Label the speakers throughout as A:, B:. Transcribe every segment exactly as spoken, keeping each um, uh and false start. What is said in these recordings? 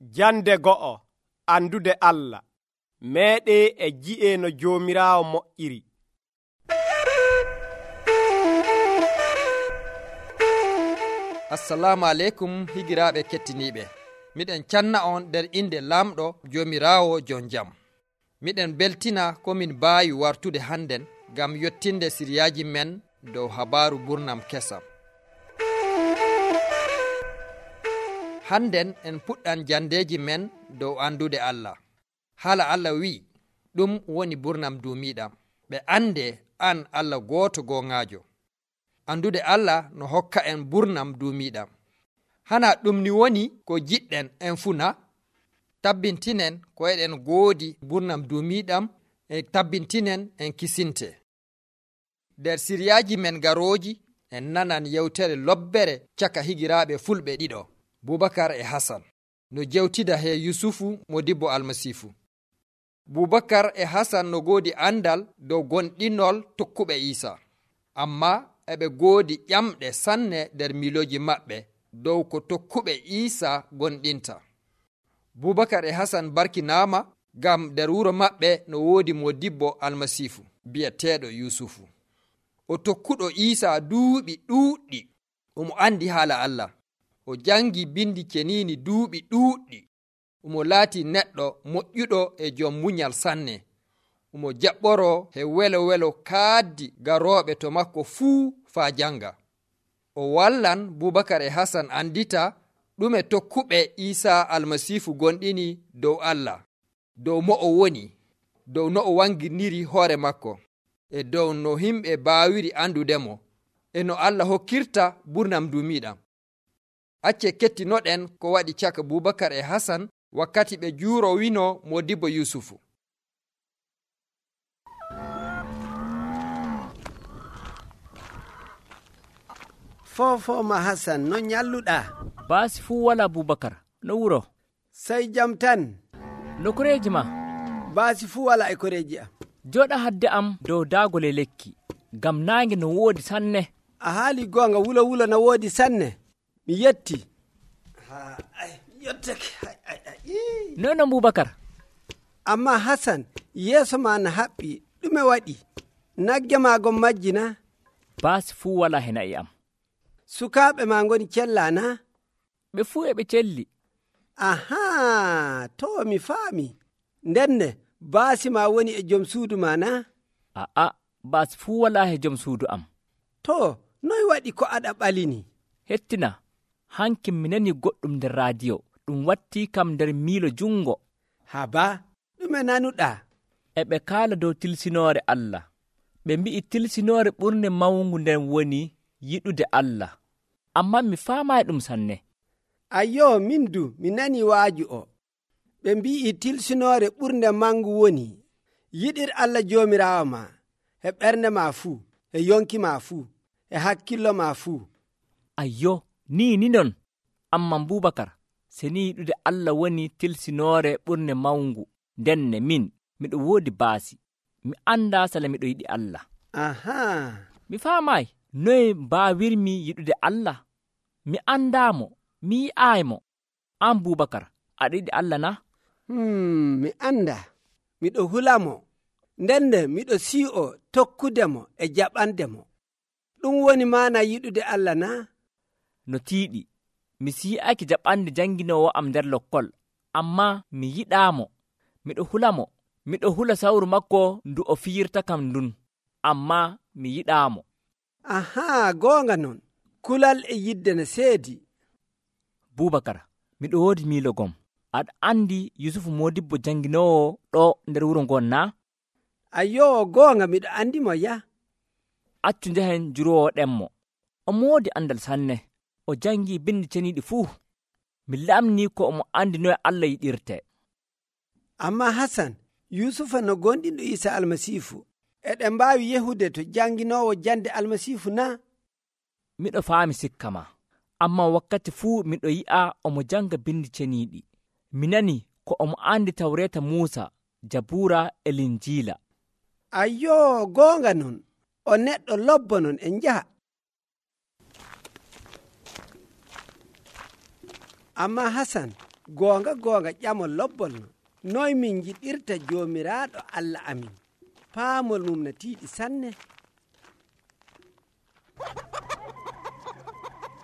A: Jande go'o andude Allah meeɗe e ji'e no Joomiraawo moƴƴiri.
B: Assalamu aleykum higiraaɓe kettiniiɓe. Miɗen canna on nder inde Lamɗo Joomiraawo jon jam. Miɗen beltina komin baawi wartude hannden ngam yottinde siriyaaji men dow habaaru burnam kesam. Hannden en puɗɗan jandeeji men dow andude Allah. Haala Allah wi'i, ɗum woni burnam duumiiɗam, ɓe ande an Allah gooto gooŋaajo. Andude Allah no hokka en burnam duumiiɗam. Hana ɗum ni woni ko jiɗɗen en funa? Tabbintinen ko eɗen goodi burnam duumiiɗam e tabbintinen en kisinte. Nder siriyaaji men garooji en nanan yewtere lobbere caka higiraaɓe fulɓe ɗiɗo, Bubakar e Hasan, no jewtida he Yusufu modibbo Almasiifu. Bubakar e Hasan no goodi andal dow gonɗinol tokkuɓe Iisa, amma eɓe goodi ƴamɗe sanne nder miilooji maɓɓe dow ko tokkuɓe Iisa gonɗinta. Bubakar e Hasan barkinaama ngam nder wuro maɓɓe no woodi modibbo Almasiifu bi'eteeɗo Yusufu. O tokkuɗo Iisa duuɓi ɗuuɗɗi, omo andi haala Allah. O jangi bindi keniini duuɓi ɗuuɗɗi. Omo laati neɗɗo moƴƴuɗo e jom munyal sanne. Omo jaɓɓoro he welo welo kaaddi garooɓe to makko fuu faa janga. O wallan Bubakar e Hasan andita ɗume tokkuɓe Iisa Almasiifu gonɗini dow Allah, dow mo o woni, dow no o wangirniri hoore makko, e dow no himɓe baawiri andudemo, e no Allah hokkirta burnam duumiiɗam. Acce kettinoɗen ko waɗi caka Bubakar e Hasan wakkati ɓe juuro wino modibbo Yusufu.
C: Fofoma Hasan, no nyalluɗa?
D: Baasi fuu wala Bubakar, no wuro?
C: Sai jam tan.
D: No koreeji ma?
C: Baasi fuu wala e koreeji am.
D: Joɗa hadde am dow daagole lekki, ngam naange no woodi sanne.
C: A haali goonga, wulo wulo no woodi sanne. Mi yetti. Ha, ay, yottake. Ay, ay, ay.
D: Nono Bubakar.
C: Amma Hasan, yeeso ma na haɓɓi, ɗume waɗi? Nagge ma gon majjina?
D: Baasi fuu wala he na'i am.
C: Sukaaɓe ma ngoni cella na?
D: Ɓe fuu e ɓe celli.
C: Aha, to mi faami. Ndenne, baasi ma woni e jom suudu ma na?
D: Aa, baasi fuu wala he jom suudu am.
C: To, noy waɗi ko aɗa ɓalini?
D: Hettina, hanki mi nani goɗɗum nder raadiyo, ɗum watti kam nder miilo jungo.
C: Haba, ɗume nanuɗa?
D: E ɓe kaala dow tilsinoore Allah. Ɓe mbi'i tilsinoore ɓurnde mawngu nden woni yiɗude Allah. Amma mi faamaayi ɗum sanne.
C: Ayyo, min du, mi nani waaju o. Ɓe mbi'i tilsinoore ɓurnde mangu woni yiɗir Allah Joomiraawo ma, e ɓernde ma fuu, e yonki ma fuu, e hakkillo ma fuu.
D: Ayyo, ni ni non. Amma Bubakar, se ni yiɗude Allah woni tilsinoore ɓurnde mawngu, ndenne min, miɗo woodi baasi. Mi anndaa sala miɗo yiɗi Allah.
C: Aha.
D: Mi faamaayi, noye mbaawirmi yiɗude Allah? Mi anndaamo, mi yi'aaymo. An Bubakar, aɗa yiɗi Allah na?
C: Hmm, mi anda. Miɗo hulamo. Ndenne miɗo sii'o tokkudemo e jaɓandemo. Ɗum woni maana yiɗude Allah na?
D: No tiiɗi, mi sii'aki jaɓande janginoowo am nder lokkol, amma mi yiɗaamo. Miɗo hulamo, miɗo hula sawru makko ndu o fiyirta kam ndun, amma mi yiɗaamo.
C: Aha, goonga non. Kulal e yidde no seedi.
D: Bubakar, miɗo woodi miilo gom. Aɗa andi Yusufu modibbo janginoowo ɗo nder wuro ngon na?
C: Ayyo, goonga miɗo andi mo ya.
D: Accu njehen jurowoɗenmo. O moodi andal sanne. O jangi bindi ceniiɗi fuu. Mi lamni ko omo andi noye Allah yiɗirte.
C: Amma Hasan, Yusufa no gonɗinɗo Iisa Almasiifu, eɗen mbaawi yehude to janginoowo jande Almasiifu na?
D: Miɗo faami sikka ma. Amma wakkati fuu miɗo yi'a omo janga bindi ceniiɗi. Mi nani ko omo andi Tawreeta Muusa, Jabuura e Linjiila.
C: Ayyo, goonga non. O neɗɗo lobbo non en njaha. Amma Hasan, goonga goonga ƴamol lobbol no noy min jiɗirta joomiraaɗo Allah amin paamol mum no tiiɗi sanne.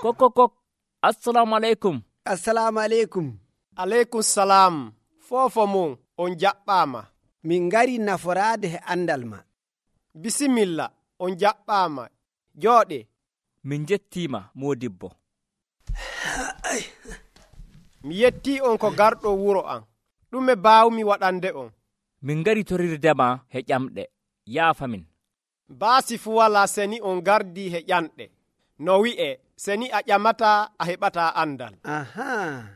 D: kok kok kok assalamu aleykum.
C: Assalamu aleykum.
A: aleykum salam. Foofo mum on jaɓɓaama.
C: Min ngari naforaade he andal ma.
A: Bisimilla, on jaɓɓaama. Jooɗe.
D: Min jettiima Moodibbo.
A: Mi yettii on ko garɗo wuro an. Ɗume baawmi waɗande on?
D: Min ngari torirdema he ƴamɗe. Yaafamin.
A: Baasi fu walaa seni on gardii he ƴanɗe. No wi'e, seni a ƴamataa a heɓataa andal.
C: Aha.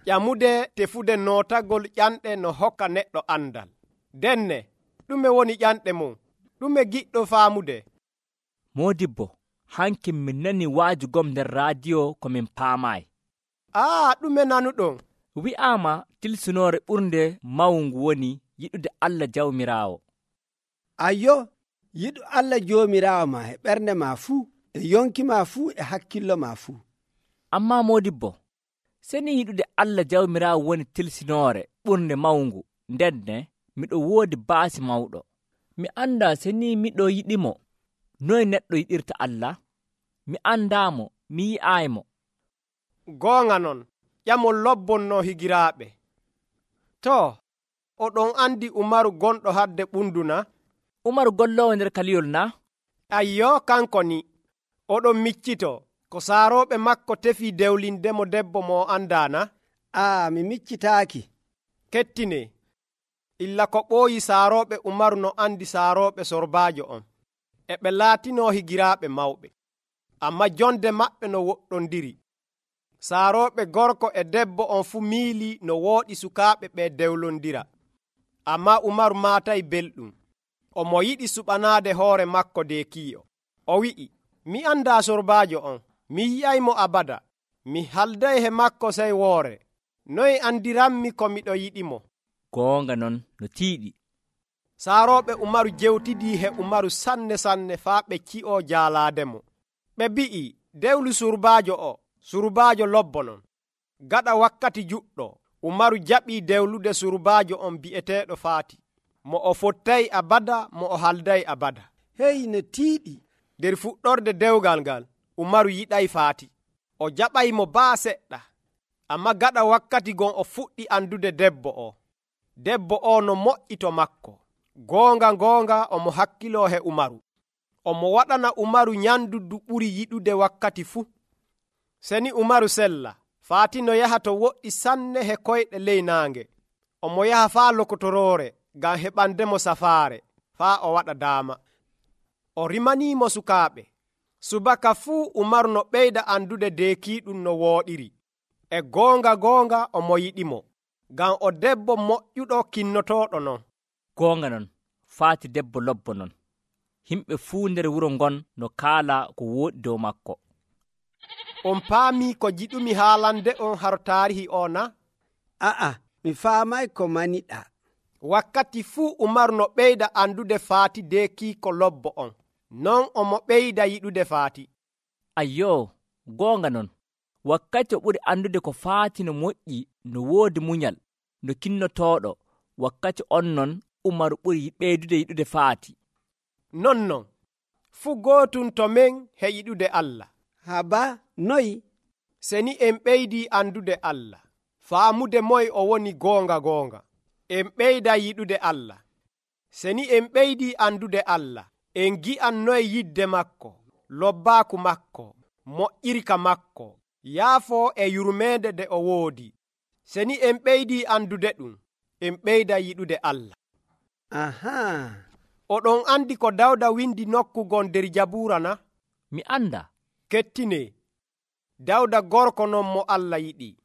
A: Ƴamude tefude nootagol ƴanɗe no hokka neɗɗo andal. Denne, ɗume woni ƴanɗe mum? Ɗume giɗɗo faamude?
D: Moodibbo, hanki min nani waajugom nder raadiyo ko min paamaayi.
A: Aa, ɗume nanuɗon?
D: Wi'aama tilsinoore ɓurnde mawngu woni yiɗude Allah jawmiraawo.
C: Ayyo, yiɗu Allah joomiraawo ma e ɓernde ma fuu, e yonki ma fuu, e hakkillo ma fuu.
D: Ammaa Moodibbo, seni yiɗude Allah jawmiraawo woni tilsinoore ɓurnde mawngu, ndenne miɗo woodi baasi mawɗo. Mi anndaa seni miɗo yiɗimo, noy neɗɗo yiɗirta Allah? Mi anndaamo, mi yi'aaymo.
A: Goonga non, ƴamol lobbonno higiraaɓe. To, oɗon andi Umaru gonɗo hadde ɓunduna?
D: Umaru golloowo nder kaliyol na?
A: Ayyo, kanko ni. Oɗon miccito, ko saarooɓe makko tefii dewlindemo debbo mo andaana?
C: Aa, mi miccitaaki.
A: Kettine, illa ko ɓooyi saarooɓe Umaru no andi saarooɓe sorbaajo on. E ɓe laatinoo higiraaɓe mawɓe. Amma jonde maɓɓe no woɗɗondiri. Saarooɓe gorko e debbo on fu miili no wooɗi sukaaɓe ɓe dewlondira. Amma Umaru maatay belɗum. Omo yiɗi suɓanaade hoore makko de kiyo. O wi'i, mi andaa sorbaajo on, mi yi'aymo abada. Mi halday he makko sey woore. Noy andiranmi ko miɗo yiɗimo?
D: Goonga non no tiiɗi.
A: Saarooɓe Umaru jewtidii he Umaru sanne sanne faa ɓe ci'oo jaalaademo. Ɓe bi'i, dewlu surbaajo o, surbaajo lobbo non. Gaɗa wakkati juɗɗo, Umaru jaɓii dewlude surbaajo on bi'eteeɗo Faati. Mo o fottay abada, mo o halday abada.
C: Hey, no tiiɗi.
A: Nder fuɗɗorde dewgal ngal, Umaru yiɗay Faati. O jaɓaymo baa seɗɗa. Amma gaɗa wakkati gon o fuɗɗi andude debbo o. Debbo o no moƴƴito makko. Goonga goonga omo hakkiloo he Umaru. Omo waɗana Umaru nyandu du ɓuri yiɗude wakkati fuu. Seni Umaru sella, Faati no yaha to woɗɗi sanne he koyɗe ley naange. Omo yaha faa lokotoroore ngam heɓandemo safaare, faa o waɗa daama. O rimaniimo sukaaɓe. Subaka fuu Umaru no ɓeyda andude deekiiɗum no wooɗiri. E goonga goonga omo yiɗimo, ngam o debbo moƴƴuɗo kinnotooɗo non.
D: Goonga non, Faati debbo lobbo non. Himɓe fuu nder wuro ngon no kaala ko wooɗi dow makko.
A: On paamii ko jiɗumi haalande on haro taarihi o na?
C: A'a, mi faamay ko maniɗa.
A: Wakkati fuu Umaru no ɓeyda andude Faati deekiiko lobbo on. Non omo ɓeyda yiɗude Faati.
D: Ayyo, goonga non. Wakkati o ɓuri andude ko Faati no moƴƴi, no woodi munyal, no kinnotooɗo, wakkati on non Umaru ɓuri ɓeydude yiɗude Faati.
A: Non non, fuu gootum to men he yiɗude Allah.
C: Haba, noyi?
A: Seni en ɓeydii andude Allah, faamude moy o woni goonga goonga. En ɓeyda yiɗude Allah. Seni en ɓeydii andude Allah, en gi'an noye yidde makko, lobbaaku makko, moƴƴirka makko, yaafoo e yurmeende de o woodi. Seni en ɓeydii andude ɗum, en ɓeyda yiɗude Allah.
C: Aha.
A: Oɗon andi ko Dawda windi nokkugon nder Jabuura na?
D: Mi anda.
A: Kettine, Dawda gorko non mo Allah yiɗi.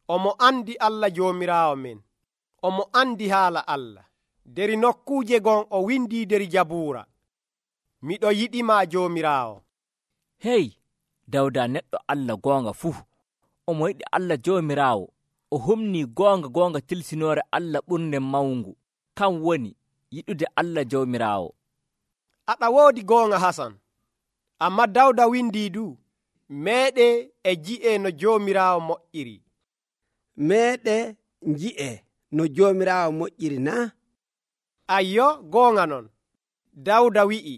A: Omo andi Allah joomiraawo men. Omo andi haala Allah. Der nokkuuje gon o windi nder Jabuura. Miɗo yiɗima joomiraawo.
D: Hey, Dawda neɗɗo Allah goonga fuu. Omo yiɗi Allah joomiraawo. O humni goonga goonga tilsinoore Allah ɓurnde mawngu. Kan woni yiɗude Allah joomiraawo.
A: Aɗa woodi goonga Hasan. Amma Dawda windi du, meeɗe e ji'e no joomiraawo moƴƴiri.
C: Meeɗe nji'e no joomiraawo moƴƴiri na?
A: ayyo goonga non. Dawda wi'i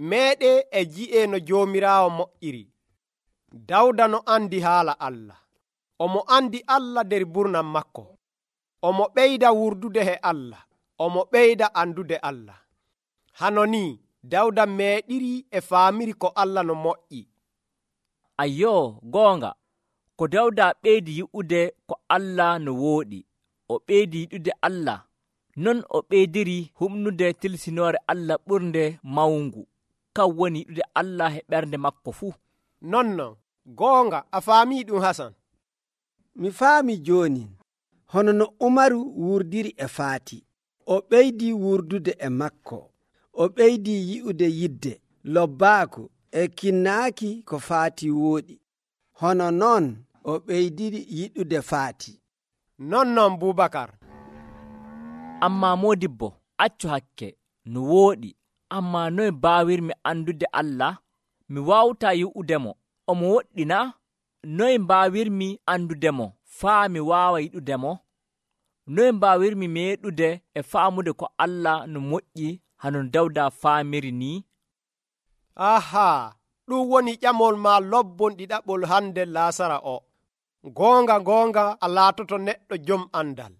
A: meeɗe e ji'e no joomiraawo moƴƴiri. Dawda no andi haala Allah. Omo andi Allah nder burnam makko. Omo ɓeyda wurdude he Allah. Omo ɓeyda andude Allah. Hano ni Dawda meeɗiri e faamiri ko Allah no moƴƴi.
D: ayyo goonga, ko Dawda ɓeydi yi'ude ko Allah no wooɗi, o ɓeydi yiɗude Allah, non o ɓeydiri humnude tilsinoore Allah ɓurnde mawngu, kan woni yiɗude Allah e ɓernde makko fuu.
A: Nonnon goonga a faamii ɗum Hasan.
C: Mi faami jooni hono no Umaru wurdiri e Faati. O ɓeydi wurdude e makko. O ɓeydi yi'ude yidde, lobbaaku e kinnaaki ko Faati wooɗi. Hono noon o ɓeydiri yiɗude Faati.
A: Nonnon Bubakar.
D: Ammaa moodibbo, accu hakke, no wooɗi, ammaa noye mbaawirmi andude Allah? Mi waawtaa yi'udemo, omo woɗɗina? Noye mbaawirmi andudemo faa mi waawa yiɗudemo? Noye mbaawirmi meeɗude e faamude ko Allah no moƴƴi hano Dawda faamiri ni?
A: Aha, ɗum woni ƴamol ma lobbon ɗiɗaɓol hande Laasara o. Goonga goonga a laatoto neɗɗo jom andal.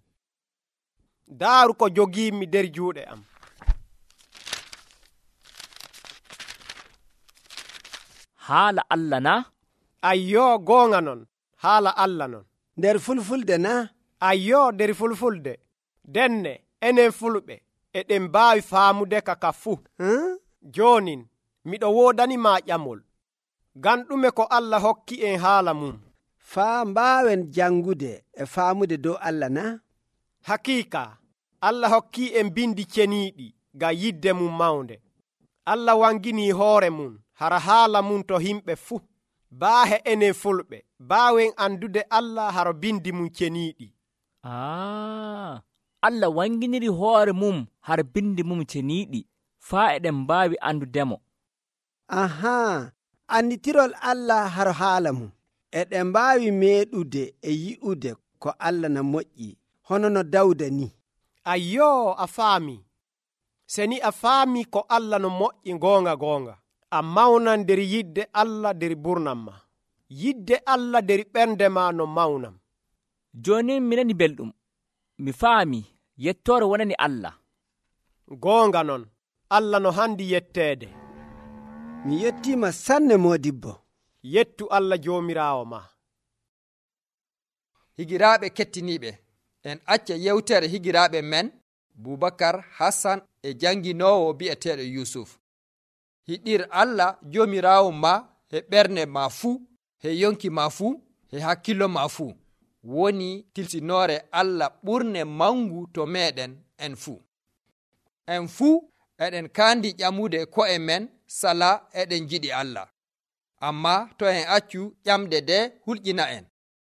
A: Daaru ko jogiimi nder juuɗe am.
D: Haala Allah na?
A: Ayyo goonga non, haala Allah non.
C: Nder fulfulde na?
A: Ayyo nder fulfulde. Denne enen fulɓe eɗen mbaawi faamude kaka fuu.
C: Hmm?
A: Joonin miɗo woodanima ƴamol. Ngam ɗume ko Allah hokki en haala mum.
C: Faa mbaawen jangude e faamude dow Allah na?
A: Hakiika Allah hokki en bindi ceniiɗi ngam yidde mum mawnde. Allah wangini hoore mum hara haala mum to himɓe fuu. Baahe enen fulɓe baawen andude Allah haro bindi mum ceniiɗi.
D: Ah, Allah wanginiri hoore mum har bindi mum ceniiɗi faa eɗen mbaawi andudemo.
C: Ahaa, annitirol Allah haro haala mum. Eɗen mbaawi meeɗude e yi'ude ko Allah na moƴƴi, hono no Dawda ni.
A: Ayyo a faami. Seni a faami ko Allah no moƴƴi goonga goonga. A mawnan nder yidde Allah nder burnam ma. Yidde Allah nder ɓernde ma no mawnam.
D: Jooni mi nani belɗum. Mi faami yettoore wonani Allah.
A: Goonga non, Allah no handi yetteede.
C: Mi yettiima sanne moodibbo.
A: Yettu Allah joomiraawo ma.
B: Higiraaɓe kettiniiɓe, en acca yewtere higiraaɓe men Bubakar, Hassan e janginoowo bi'eteeɗo Yusuf. Hiɗir Allah joomiraawo ma he ɓernde ma fuu, he yonki ma fuu, he hakkillo ma fuu. Woni tilsinoore Allah ɓurne mangu to meɗen en fuu. En fuu eɗen kaandi ƴamude ko'e men sala eɗen jiɗi Allah. Amma to en accu ƴamɗe ɗe hulƴina en,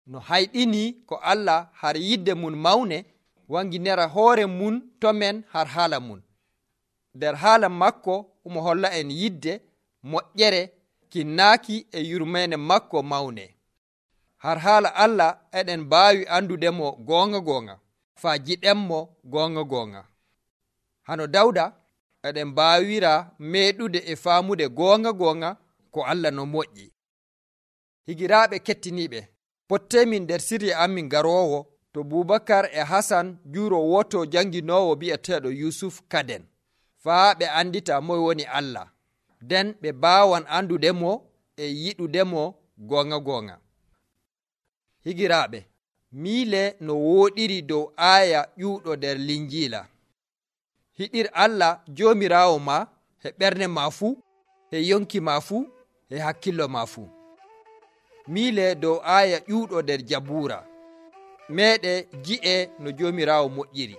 B: no hayɗini ko Allah har yidde mun mawne wanginera hoore mun to men har haala mun. Nder haala makko omo holla en yidde, moƴƴere, kinnaaki e yurmene makko mawne. Har haala Allah eɗen mbaawi andudemo goonga goonga, faa jiɗenmo goonga goonga. Hano Dawda eɗen mbaawira meeɗude e faamude goonga goonga ko Allah no moƴƴi. Higiraaɓe kettiniiɓe, pottemin nder sirya amin garoowo to Bubakar e Hasan juuro woto janginoowo bi'eteeɗo Yusuf kaden, faa ɓe andita moye woni Allah, nden ɓe baawan andudemo e yiɗudemo goonga goonga. Higiraaɓe, miile no wooɗiri dow aaya ƴuuɗo nder Linjiila. Hiɗir Allah joomiraawo ma he ɓernde ma fuu, he yonki ma fuu, he hakkillo ma fuu. Miile dow aaya ƴuuɗo nder Jabuura. Meeɗe ji'e no joomiraawo moƴƴiri.